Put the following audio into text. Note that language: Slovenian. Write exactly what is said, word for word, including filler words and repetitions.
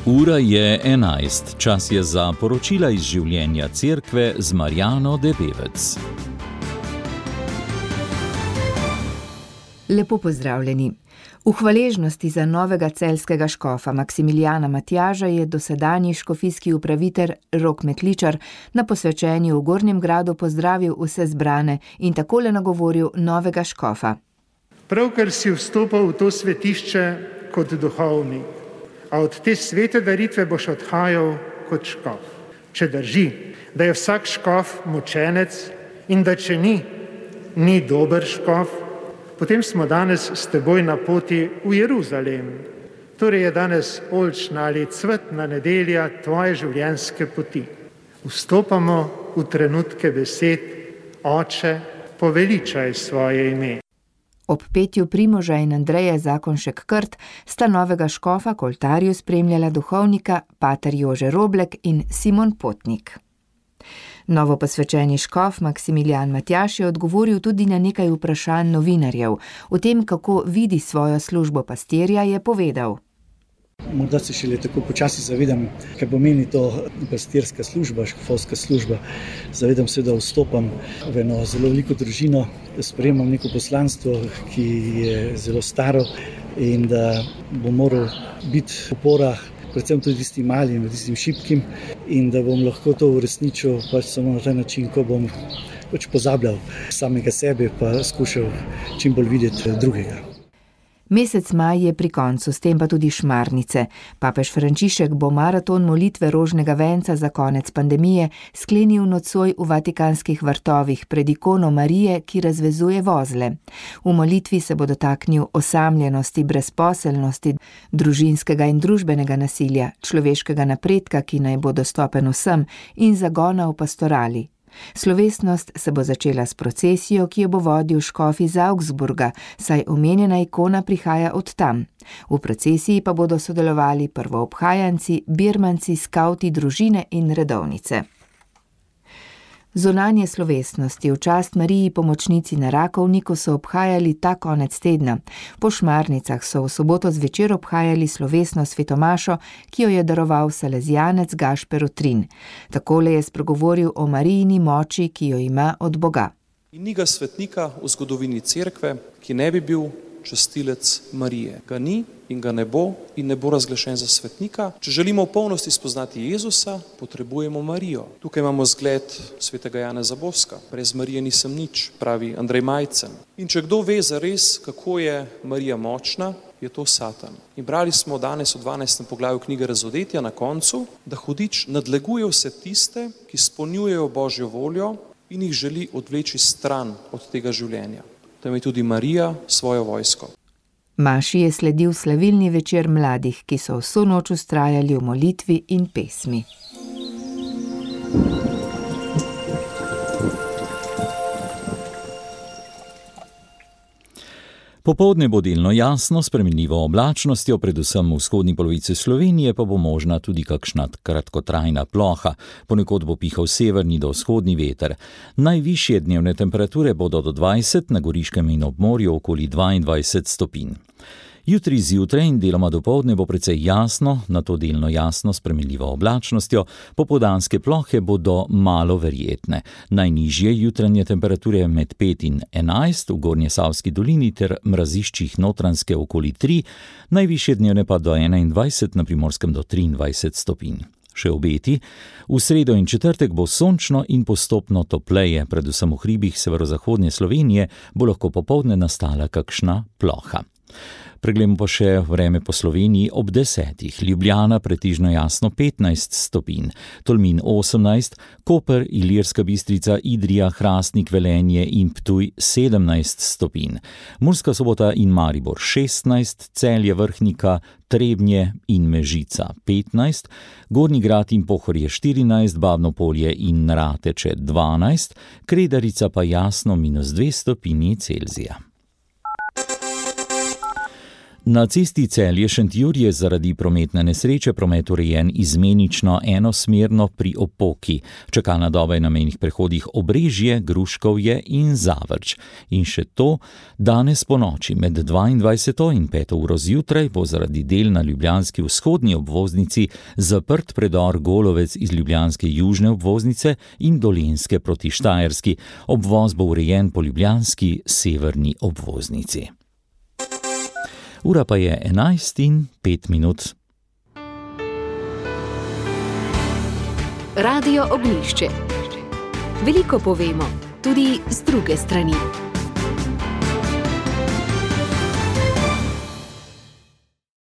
Ura je enajst, čas je za poročila iz življenja cerkve z Marjano Debevec. Lepo pozdravljeni. V hvaležnosti za novega celjskega škofa Maksimilijana Matjaža je dosedanji škofijski upravitelj Rok Metličar na posvečenju v Gornjem Gradu pozdravil vse zbrane in takole nagovoril novega škofa. Pravkar si vstopal v to svetišče kot duhovnik, a od te svete daritve boš odhajal kot škof. Če drži, da je vsak škof mučenec in da če ni, ni dober škof, potem smo danes s teboj na poti v Jeruzalem. Torej je danes oljčna ali cvetna nedelja tvoje življenjske poti. Vstopamo v trenutke besed: Oče, poveličaj svoje ime. Ob petju Primoža in Andreje Zakonšek Krt sta novega škofa k oltarju spremljala duhovnika pater Jože Roblek in Simon Potnik. Novo posvečeni škof Maksimilijan Matjaž je odgovoril tudi na nekaj vprašanj novinarjev. O tem, kako vidi svojo službo pastirja, je povedal. Morda se šele tako počasi zavedam, kaj pomeni to pastirska služba, škofovska služba. Zavedam se, da vstopam v eno zelo veliko družino, sprejemam neko poslanstvo, ki je zelo staro in da bom moral biti opora predvsem tudi tistim malim, tistim šibkim in da bom lahko to uresničil pač samo na ta način, ko bom pač pozabljal samega sebe pa skušal čim bolj videti drugega. Mesec maj je pri koncu, s tem pa tudi šmarnice. Papež Frančišek bo maraton molitve rožnega venca za konec pandemije sklenil nocoj v Vatikanskih vrtovih pred ikono Marije, ki razvezuje vozle. V molitvi se bo dotaknil osamljenosti, brezposelnosti, družinskega in družbenega nasilja, človeškega napredka, ki naj bo dostopen vsem, in zagona v pastorali. Slovesnost se bo začela s procesijo, ki jo bo vodil škof iz Augsburga, saj omenjena ikona prihaja od tam. V procesiji pa bodo sodelovali prvoobhajanci, birmanci, skavti, družine in redovnice. Zunanje slovesnosti v čast Mariji pomočnici na Rakovniku so obhajali ta konec tedna. Po šmarnicah so v soboto zvečer obhajali slovesno svetomašo, ki jo je daroval salezijanec Gašper Utrin. Takole je spregovoril o Marijini moči, ki jo ima od Boga. Ni ga svetnika v zgodovini cerkve, ki ne bi bil častilec Marije. Ga ni in ga ne bo in ne bo razglašen za svetnika. Če želimo v polnosti spoznati Jezusa, potrebujemo Marijo. Tukaj imamo zgled svetega Janeza Boska. Brez Marije nisem nič, pravi Andrej Majcen. In če kdo ve zares, kako je Marija močna, je to Satan. In brali smo danes v dvanajstem poglavju knjige Razodetja na koncu, da hudič nadleguje vse tiste, ki izpolnjujejo Božjo voljo in jih želi odvleči stran od tega življenja. Tam je tudi Marija svojo vojsko. Maši je sledil slavilni večer mladih, ki so vso noč vztrajali v molitvi in pesmi. Popoldne bo delno jasno, s spremenljivo oblačnostjo, predvsem v vzhodni polovici Slovenije pa bo možna tudi kakšna kratkotrajna ploha. Ponekod bo pihal severni do vzhodni veter. Najvišje dnevne temperature bodo do dvajset, na Goriškem in ob morju okoli dvaindvajset stopinj. Jutri zjutraj in deloma dopoldne bo precej jasno, nato delno jasno s spremenljivo oblačnostjo, popoldanske plohe bodo malo verjetne. Najnižje jutranje temperature med pet in enajst v Gornjesavski dolini ter mraziščih Notranjske okoli tri, najvišje dnevne pa do enaindvajset, na Primorskem do triindvajset stopinj. Še obeti, v sredo in četrtek bo sončno in postopno topleje, predvsem v hribih severozahodne Slovenije bo lahko popoldne nastala kakšna ploha. Preglejmo pa še vreme po Sloveniji ob desetih. Ljubljana pretežno jasno petnajst stopinj, Tolmin osemnajst, Koper, Ilirska Bistrica, Idrija, Hrastnik, Velenje in Ptuj sedemnajst stopinj. Murska Sobota in Maribor šestnajst, Celje, Vrhnika, Trebnje in Mežica petnajst, Gornji Grad in Pohorje štirinajst, Babno Polje in Rateče dvanajst, Kredarica pa jasno minus dve stopinji Celzija. Na cesti Celje-Šentjur je zaradi prometne nesreče promet urejen izmenično enosmerno pri Opoki. Čakalna doba je na mejnih prehodih Obrežje, Gruškovje in Zavrč. In še to, danes po noči med dvaindvajseto in peto uro zjutraj bo zaradi del na ljubljanski vzhodni obvoznici zaprt predor Golovec iz ljubljanske južne obvoznice in Dolenjske proti Štajerski. Obvoz bo urejen po ljubljanski severni obvoznici. Ura pa je enajst in pet minut. Radio Ognjišče. Veliko povemo, tudi z druge strani.